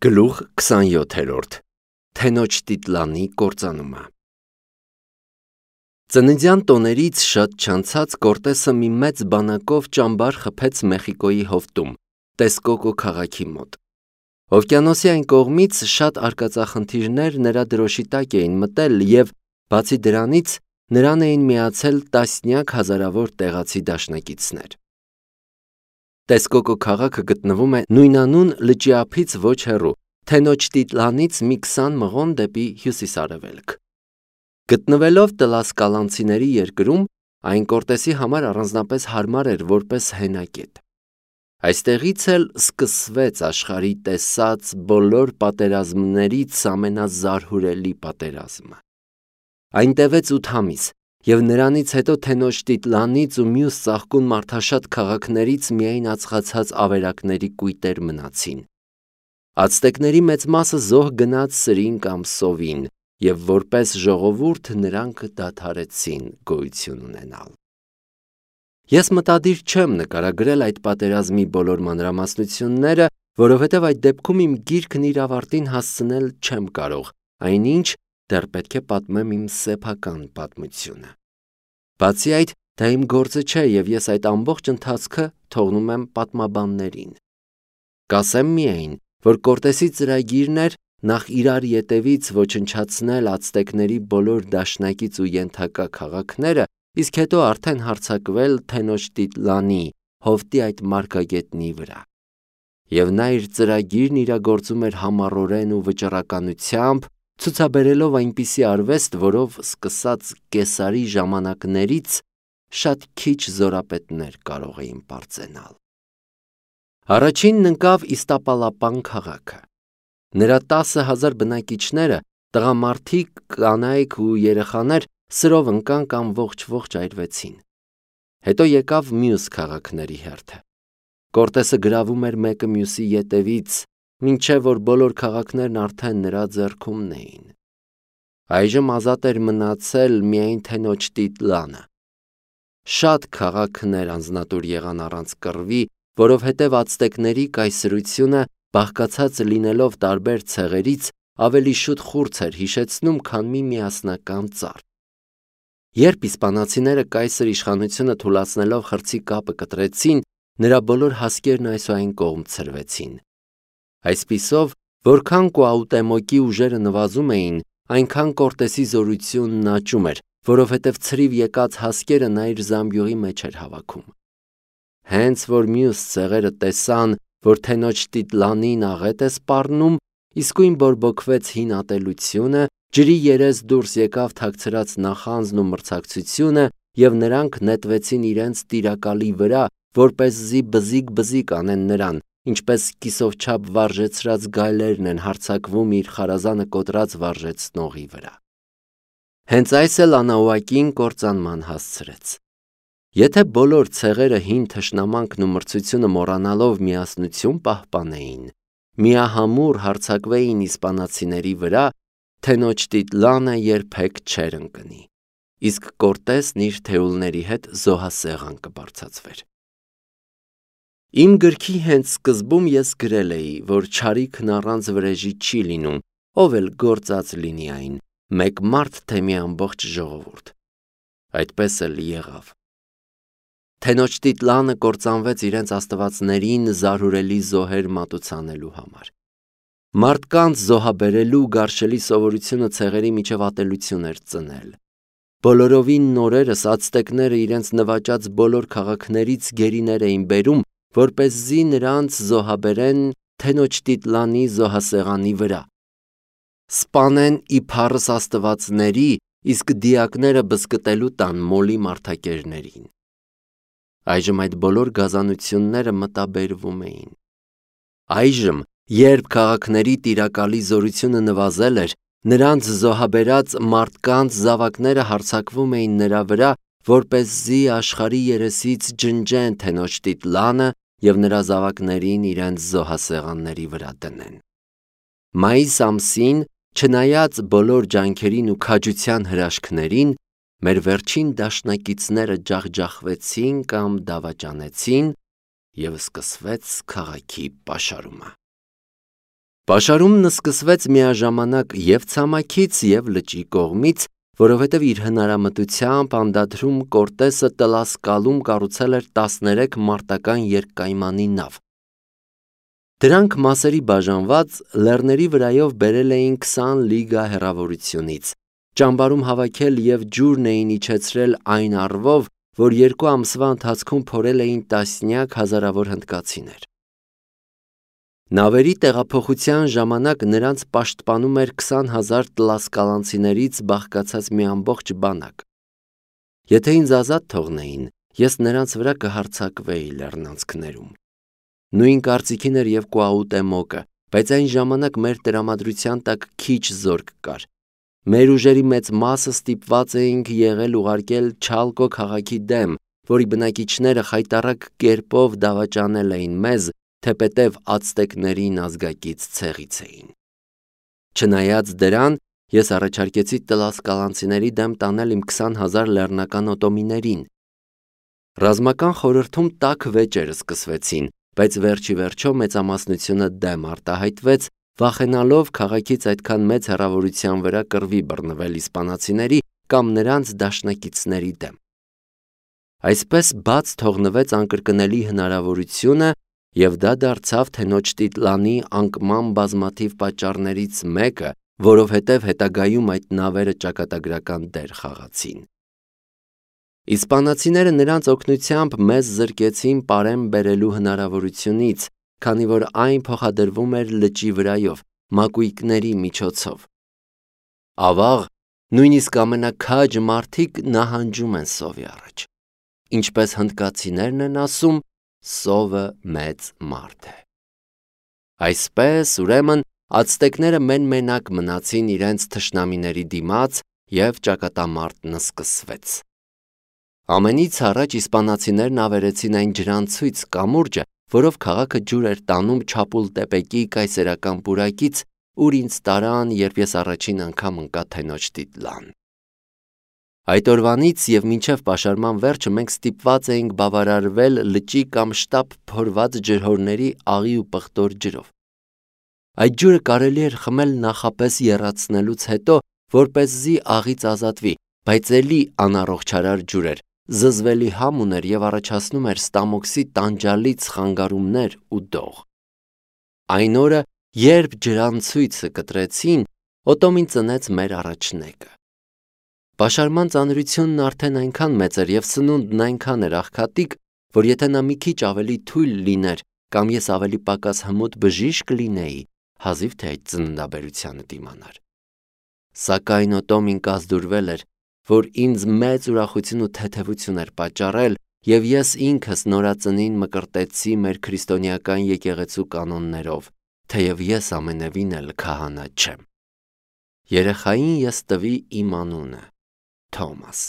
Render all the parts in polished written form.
Գլուխ 27 Թենոջ Տիտլանի կործանումը Ծննդյան տոներից շատ չանցած Կորտեսը մի մեծ բանակով ճամբար խփեց Մեխիկոյի հովտում, Տեսկոկո քաղաքի մոտ։ Օվկիանոսի այն կողմից շատ արկածախնդիրներ նրա դրոշի տակ էին մտել և, բացի դրանից, նրան էին միացել տասնյակ հազարավոր տեղացի դաշնակիցներ։ Տեսկոկո քաղաքը գտնվում է նույնանուն լճի ափից ոչ հեռու, Թենոջ Տիտլանից մի 20 մղոն դեպի հյուսիս-արևելք։ Գտնվելով տլասկալանցիների երկրում, այն Կորտեսի համար առանձնապես հարմար էր որպես հենակետ։ Այստեղից էլ սկսվեց աշխարհի տեսած բոլոր պատերազմներից ամենազարհուրելի պատերազմը։ Այն տևեց 8 ամիս, և նրանից հետո Թենոջ Տիտլանից ու մյուս ծաղկուն մարդաշատ քաղաքներից միայն ածխացած ավերակների կույտեր մնացին։ Ացտեկների մեծ մասը զոհ գնաց սրին կամ սովին, և որպես ժողովուրդ նրանք դադարեցին գոյություն ունենալ։ Ես մտադիր չեմ նկարագրել այդ պատերազմի բոլոր մանրամասնությունները, որովհետև այդ դեպքում իմ գիրքն իր ավարտին հասցնել չեմ կարող, այնինչ դեռ պետք է պատմեմ իմ սեփական պատմությունը։ Բացի այդ, դա իմ գործը չէ, և ես այդ ամբողջ ընթացքը թողնում եմ պատմաբաններին։ Կասեմ միայն, որ Կորտեսի ծրագիրն էր նախ իրար ետևից ոչնչացնել ացտեկների բոլոր դաշնակից ու ենթակա քաղաքները, իսկ հետո արդեն հարձակվել Թենոջ Տիտլանի, հովտի այդ մարգագետնի վրա։ Եվ նա իր ծրագիրն իրագործում էր համառորեն ու վճռականությամբ, ցուցաբերելով այնպիսի արվեստ, որով սկսած Կեսարի ժամանակներից շատ քիչ զորապետներ կարող էին պարծենալ։ Առաջինն ընկավ Իստապալապան քաղաքը։ Նրա 10,000 բնակիչները, տղամարդիկ, կանայք ու երեխաներ սրով ընկան կամ ողջ այրվեցին։ Հետո եկավ մյուս քաղաքների հերթը։ Կորտեսը գրավում էր մեկը մյուսի ետևից, մինչև որ բոլոր քաղաքներն արդեն նրա ձեռքումն էին։ Այժմ ազատ էր մնացել միայն Թենոջ Տիտլանը։ Շատ քաղաքներ անձնատուր եղան առանց կռվի, որովհետև ացտեկների կայսրությունը, բաղկացած լինելով տարբեր ցեղերից, ավելի շուտ խուրձ էր հիշեցնում, քան մի միասնական ծառ։ Երբ իսպանացիները կայսր իշխանությունը թուլացնելով խրձի կապը կտրեցին, նրա բոլոր հասկերն այսուայն կողմ ցրվեցին։ Այսպիսով, որքան Կուաուտեմոկի ուժերը նվազում էին, այնքան Կորտեսի զորությունն աճում էր, որովհետև ցրիվ եկած հասկերը նա իր զամբյուղի մեջ էր հավաքում։ Հենց որ մյուս ցեղերը տեսան, որ Թենոջ Տիտլանին աղետ է սպառնում, իսկույն բորբոքվեց հին ատելությունը, ջրի երես դուրս եկավ թաքցրած նախանձն ու մրցակցությունը, և նրանք նետվեցին իրենց տիրակալի վրա, որպեսզի բզիկ անեն նրան, ինչպես կիսովչափ վարժեցրած գայլերն են հարձակվում իր խարազանը կոտրած վարժեցնողի վրա։ Հենց այս էլ Անաուակին կործանման հասցրեց։ Եթե բոլոր ցեղերը հին թշնամանքն ու մրցությունը մոռանալով միասնություն պահպանեին, միահամուռ հարձակվեին իսպանացիների վրա, Թենոջ Տիտլանը երբեք չէր ընկնի, իսկ Կորտեսն իր թեուլների հետ զոհասեղան կբարձրացվեր։ Իմ գրքի հենց սկզբում ես գրել էի, որ չարիքն առանց վրեժի չի լինում, ով էլ գործած լինի այն, մեկ մարդ թե մի ամբողջ ժողովուրդ։ Այդպես էլ եղավ։ Թենոջ Տիտլանը կործանվեց իրենց աստվածներին զարհուրելի զոհեր մատուցանելու համար։ Մարդկանց զոհաբերելու գարշելի սովորությունը ցեղերի միջև ատելություն էր ծնել։ Բոլորովին նորերս ացտեկները իրենց նվաճած բոլոր քաղաքներից գերիներ էին բերում, որպեսզի նրանց զոհաբերեն Թենոջ Տիտլանի զոհասեղանի վրա։ Սպանեն իբարս աստվածների, իսկ դիակները բզկտելու տան մոլի մարդակերներին։ Այժմ այդ բոլոր գազանությունները մտաբերվում էին։ Այժմ, երբ քաղաքների տիրակալի զորությունը նվազել էր, նրանց զոհաբերած մարդկանց զավակները հարձակվում էին նրա վրա, որպեսզի աշխարհի երեսից ջնջեն Թենոջ Տիտլանը և նրա զավակներին իրենց զոհասեղանների վրա դնեն։ Մայիս ամսին, չնայած բոլոր ջանքերին ու քաջության հրաշքներին, մեր վերջին դաշնակիցները ջախջախվեցին կամ դավաճանեցին, և սկսվեց քաղաքի պաշարումը։ Պաշարումն սկսվեց միաժամանակ և ցամաքից և լճի կողմից, որովհետև իր հնարամտությամբ անդադրում Կորտեսը Տլասկալում կառուցել էր 13 մարտական երկկայմանի նավ։ Դրանք մասերի բաժանված լեռների վրայով բերել էին 20 լիգա հեռավորությունից, ճամբարում հավաքել և ջուրն էին իջեցրել այն առվով, որ 2 ամսվա ընթացքում փորել էին տասնյակ հազարավոր հնդկացիներ։ Նավերի տեղափոխության ժամանակ նրանց պաշտպանում էր 20,000 տլասկալանցիներից բաղկացած մի ամբողջ բանակ։ Եթե ինձ ազատ թողնեին, ես նրանց վրա կհարձակվեի լեռնանցքներում։ Նույն կարծիքին էր և Կուաուտեմոկը, բայց այն ժամանակ մեր տրամադրության տակ քիչ զորք կար։ Մեր ուժերի մեծ մասը ստիպված էինք եղել ուղարկել Չալկո քաղաքի դեմ, որի բնակիչները խայտառակ կերպով դավաճանել էին մեզ, թեպետև ացտեկներին ազգակից ցեղից էին։ Չնայած դրան, ես առաջարկեցի տլասկալանցիների դեմ տանել իմ 20,000 լեռնական օտոմիներին։ Ռազմական խորհրդում տաք վեճեր սկսվեցին, բայց վերջիվերջո մեծամասնությունը դեմ արտահայտվեց, վախենալով քաղաքից այդքան մեծ հեռավորության վրա կռվի բռնվել իսպանացիների կամ նրանց դաշնակիցների դեմ։ Այսպես բաց թողնվեց անկրկնելի հնարավորությունը, և դա դարձավ թե Թենոչտիտլանի անկման բազմաթիվ պատճառներից մեկը, որովհետև հետագայում այդ նավերը ճակատագրական դեր խաղացին։ Իսպանացիները նրանց օգնությամբ մեզ զրկեցին պարեմ բերելու հնարավորությունից, քանի որ այն փոխադրվում էր լճի վրայով, մակույկների միջոցով։ Ավաղ, նույնիսկ ամենաքաջ մարդիկ նահանջում են սովի առաջ։ Ինչպես հնդկացիներն են ասում, սովը մեծ մարդ է։ Այսպես, ուրեմն, ացտեկները մեն-մենակ մնացին իրենց թշնամիների դիմաց և ճակատամարտն սկսվեց։ Ամենից առաջ իսպանացիներն ավերեցին այն ջրանցույց կամուրջը, որով քաղաքը ջուր էր տանում Չապուլտեպեկի կայսերական պուրակից, ուր ինձ տարան, երբ ես առաջին անգամ ընկա Թենոչտիտլան։ Այդ օրվանից և մինչև պաշարման վերջը մենք ստիպված էինք բավարարվել լճի կամ շտապ փորված ջրհորների աղի ու պղտոր ջրով։ Այդ ջուրը կարելի էր խմել նախապես եռացնելուց հետո, որպեսզի աղից ազատվի, բայց էլի անառողջարար ջուր էր, զզվելի համ ուներ և առաջացնում էր ստամոքսի տանջալից խանգարումներ ու դող։ Այն օրը, երբ ջրանցույցը կտրեցին, Օտոմին ծնեց մեր առաջնեկը։ Պաշարման ծանրությունն արդեն այնքան մեծ էր և սնունդն այնքան էր աղքատիկ, որ եթե նա մի քիչ ավելի թույլ լիներ կամ ես ավելի պակաս հմուտ բժիշկ լինեի, հազիվ թե այդ ծննդաբերությանը դիմանար։ Սակայն Օտոմին կազդուրվել էր, որ ինձ մեծ ուրախություն ու թեթևություն էր պատճառել, և ես ինքս նորածնին մկրտեցի մեր քրիստոնեական եկեղեցու կանոններով, թեև ես ամենևին էլ քահանա չեմ։ Երեխային ես տվի իմ անունը՝ Թոմաս։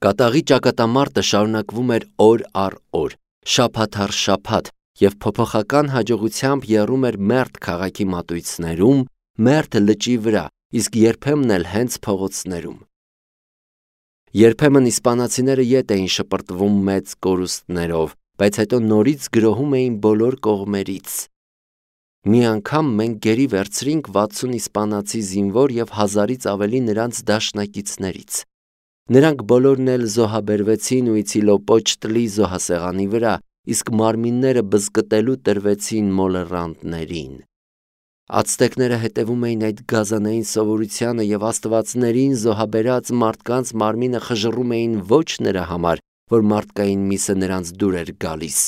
Կատաղի ճակատամարտը շարունակվում էր օր առ օր, շաբաթ առ շաբաթ, և փոփոխական հաջողությամբ եռում էր Մերթ քաղաքի մատույցներում, Մերթ լճի վրա, իսկ երբեմն էլ հենց փողոցներում։ Երբեմն իսպանացիները ետ էին շպրտվում մեծ կորուստներով, բայց հետո նորից գրոհում էին բոլոր կողմերից։ Մի անգամ մենք գերի վերցրինք 60 իսպանացի զինվոր և 1000-ից ավելի նրանց դաշնակիցներից։ Նրանք բոլորն էլ զոհաբերվեցին Ուիցիլոպոչտլի զոհասեղանի վրա, իսկ մարմինները բզկտելու տրվեցին մոլեռանդներին։ Ացտեկները հետևում էին այդ գազանային սովորությանը և աստվածներին զոհաբերած մարդկանց մարմինը խժռում էին ոչ նրա համար, որ մարդկային միսը նրանց դուր էր գալիս,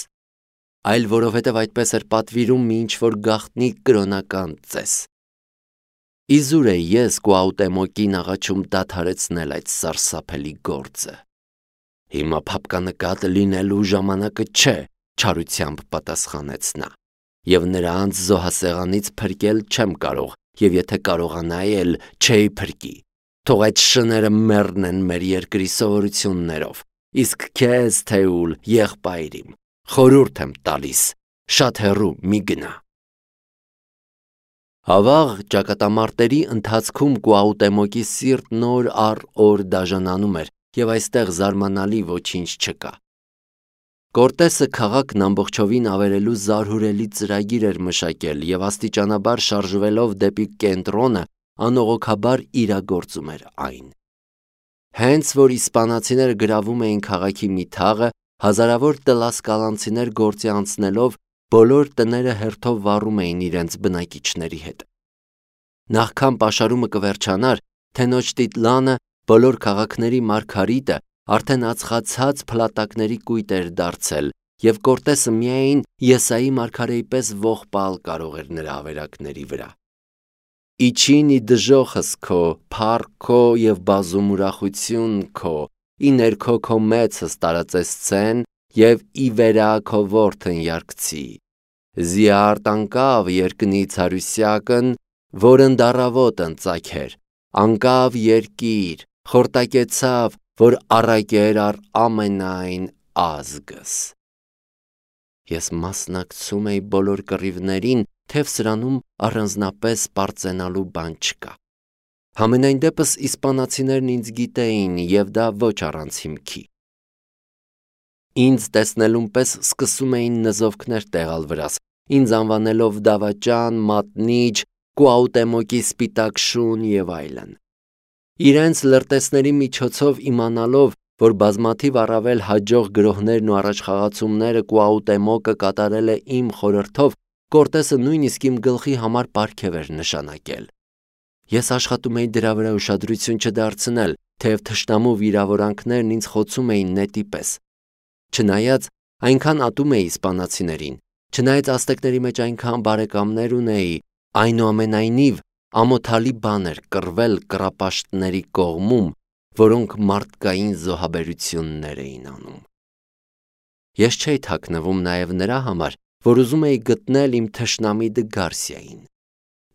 այլ որովհետև այդպես էր պատվիրում մի ինչ-որ գաղտնի կրոնական ծես։ Իզուր էի ես Կուաուտեմոկին աղաչում դադարեցնել այդ սարսափելի գործը։ Հիմա փափկանկատ լինելու ժամանակը չէ, չարությամբ պատասխանեց նա, և նրանց զոհասեղանից փրկել չեմ կարող, և եթե կարողանայի էլ չէի փրկի։ Թող այդ շները մեռնեն մեր երկրի սովորություններով, իսկ քեզ, Թեուլ, եղբայր իմ, խորհուրդ եմ տալիս, շատ հեռու մի գնա։ Ավաղ ճակատամարտերի ընթացքում Կուաուտեմոկի սիրտն օր առ օր դաժանանում էր, և այստեղ զարմանալի ոչինչ չկա։ Կորտեսը քաղաքն ամբողջովին ավերելու զարհուրելի ծրագիր էր մշակել և աստիճանաբար շարժվելով դեպի կենտրոնը անողոքաբար իրագործում էր այն։ Հենց որ իսպանացիները գրավում էին քաղաքի մի թաղը, հազարավոր տլասկալանցիներ գործի անցնելով բոլոր տները հերթով վառում էին իրենց բնակիչների հետ։ Նախքան պաշարումը կվերջանար, Թենոչտիտլանը, բոլոր քաղաքների մարգարիտը, արդեն ածխացած փլատակների կույտ էր դարձել, և Կորտեսը միայն Եսայի մարգարեի պես ողբալ կարող էր նրա ավերակների վրա։ Իջին ի դժոխս քո, փառք քո և բազում ուրախություն քո, ի ներքո քո մեծս տարածեսցեն և ի վերա քո որդն երգցի։ Զիարդ անկավ երկնից հարուսյակն, որն դառավոտն ծագեր, անկավ երկիր, խորտակեցավ, որ առակեր առ ամենայն ազգս։ Ես մասնակցում էի բոլոր կռիվներին, թեև սրանում առանձնապես պարծենալու բան չկա։ Համենայն դեպս իսպանացիներն ինձ գիտեին և դա ոչ առանց հիմքի։ Ինձ տեսնելուն պես սկսում էին նզովքներ տեղալ վրաս, ինձ անվանելով դավաճան, մատնիչ, Կուաուտեմոկի սպիտակ շուն և այլն։ Իրենց լրտեսների միջոցով իմանալով, որ բազմաթիվ առավել հաջող գրոհներն ու առաջխաղացումները Կուաուտեմոկը կատարել է իմ խորհրդով, Կորտեսը նույնիսկ իմ գլխի համար պարգև էր նշանակել։ Ես աշխատում էի դրա վրա ուշադրություն չդարձնել, թեև թշնամու վիրավորանքներն ինձ խոցում էին նետի պես։ Չնայած այնքան ատում էի իսպանացիներին, չնայած ազտեկների մեջ այնքան բարեկամներ ունեի, այնուամենայնիվ ամոթալի բան էր կռվել կռապաշտների կողմում, որոնք մարդկային զոհաբերություններ էին անում։ Ես չէի թաքնվում նաև նրա համար, որ ուզում էի գտնել իմ թշնամի Դգարսիային։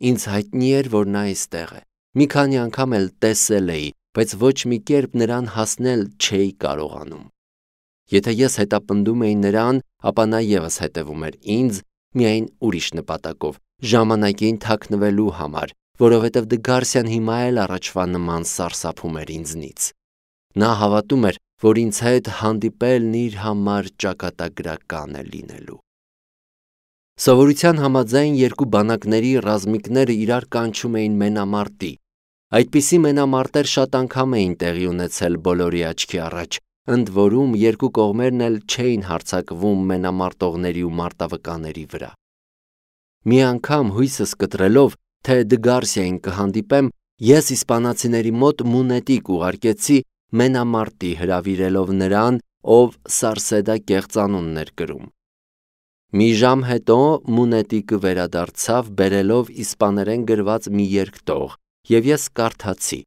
Ինձ հայտնի էր, որ նա այստեղ է։ Մի քանի անգամ էլ տեսել էի, բայց ոչ մի կերպ նրան հասնել չէի կարողանում։ Եթե ես հետապնդում էի նրան, ապա նա ևս հետևում էր ինձ, միայն ուրիշ նպատակով, ժամանակին թաքնվելու համար, որովհետև Դգարսիան հիմա էլ առաջվա նման սարսափում էր ինձնից։ Նա հավատում էր, որ ինձ հետ հանդիպելն իր համար ճակատագրական է լինելու։ Սովորության համաձայն երկու բանակների ռազմիկները իրար կանչում էին մենամարտի։ Այդպիսի մենամարտեր շատ անգամ էին տեղի ունեցել բոլորի աչքի առաջ, ընդ որում երկու կողմերն էլ չէին հարձակվում մենամարտողների ու մարտավկաների վրա։ Մի անգամ հույսս կտրելով, թե Դգարսիային կհանդիպեմ, ես իսպանացիների մոտ Մունետիկ ուղարկեցի մենամարտի, հրավիրելով նրան, ով Սարսեդա կեղծանունն էր կրում։ Մի ժամ հետո Մունետիկը վերադարձավ բերելով իսպաներեն գրված մի երկտող, և ես կարդացի.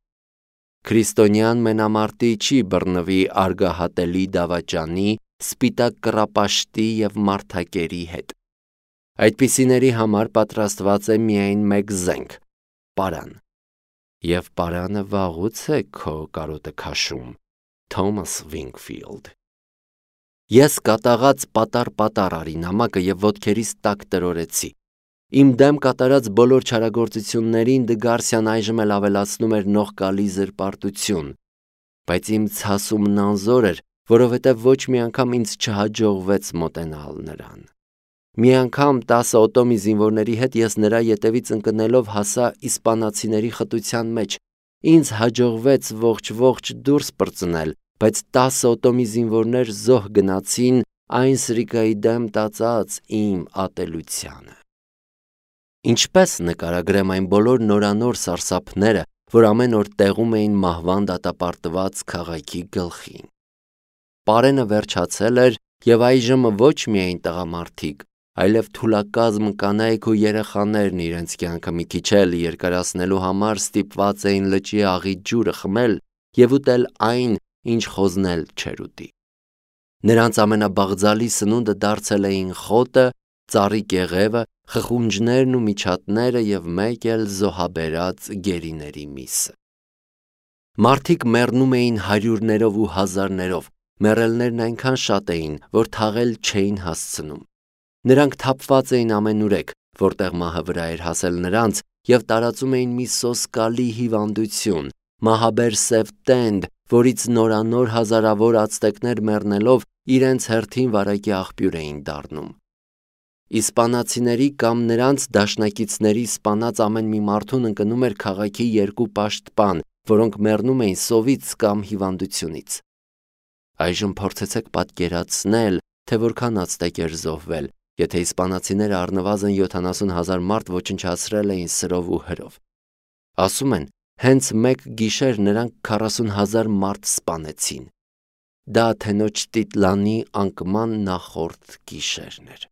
Քրիստոնյան մենամարտի չի բռնվի արգահատելի դավաճանի, սպիտակ կռապաշտի և մարդակերի հետ։ Այդպիսիների համար պատրաստված է միայն մեկ զենք՝ պարան։ Եվ պարանը վաղուց է քո կարոտը քաշում, Թոմաս Վինքֆիլդ։ Ես կատաղած պատառ արի նամակը և ոտքերիս տակ տրորեցի։ Իմ դեմ կատարած բոլոր չարագործություններին Դգարսիան այժմ էլ ավելացնում էր նողկալի զրպարտություն, բայց իմ ցասումն անզոր էր, որովհետև ոչ մի անգամ ինձ չհաջողվեց մոտենալ նրան։ Մի անգամ 10 օտոմի զինվորների հետ ես նրա ետևից ընկնելով հասա իսպանացիների խտության մեջ։ Ինձ հաջողվեց ողջ դուրս պրծնել, բայց 10 օտոմի զինվորներ զոհ գնացին այն սրիկայի դեմ տածած իմ ատելությանը։ Ինչպես նկարագրեմ այն բոլոր նորանոր սարսափները, որ ամեն օր տեղում էին մահվան դատապարտված քաղաքի գլխին։ Պարենը վերջացել էր, և այժմ ոչ միայն տղամարդիկ, այլև թուլակազմ կանայք ու երեխաներն իրենց կյանքը մի քիչ էլ երկարացնելու համար ստիպված էին լճի աղի ջուրը խմել և ուտել այն, ինչ խոզն էլ չէր ուտի։ Նրանց ամենաբաղձալի սնունդը դարձել էին խոտը, ծառի կեղևը, խխունջներն ու միջատները և մեկ էլ զոհաբերած գերիների միսը։ Մարդիկ մեռնում էին հարյուրներով ու հազարներով, մեռելներն այնքան շատ էին, որ թաղել չէին հասցնում։ Նրանք թափված էին ամենուրեք, որտեղ մահը վրա էր հասել նրանց, և տարածում էին մի սոսկալի հիվանդություն, մահաբեր սև տենդ, որից նորանոր հազարավոր ացտեկներ մեռնելով իրենց հերթին վարակի աղբյուր էին դառնում։ Իսպանացիների կամ նրանց դաշնակիցների սպանած ամեն մի մարդուն ընկնում էր քաղաքի 2 պաշտպան, որոնք մեռնում էին սովից կամ հիվանդությունից։ Այժմ փորձեցեք պատկերացնել, թե որքան ածտեկ էր զոհվել, եթե իսպանացիները առնվազն 70,000 մարդ ոչնչացրել էին սրով ու հրով։ Ասում են, հենց մեկ գիշեր նրանք 40,000 մարդ սպանեցին։ Դա Թենոչտիտլանի անկման նախորդ գիշերն էր։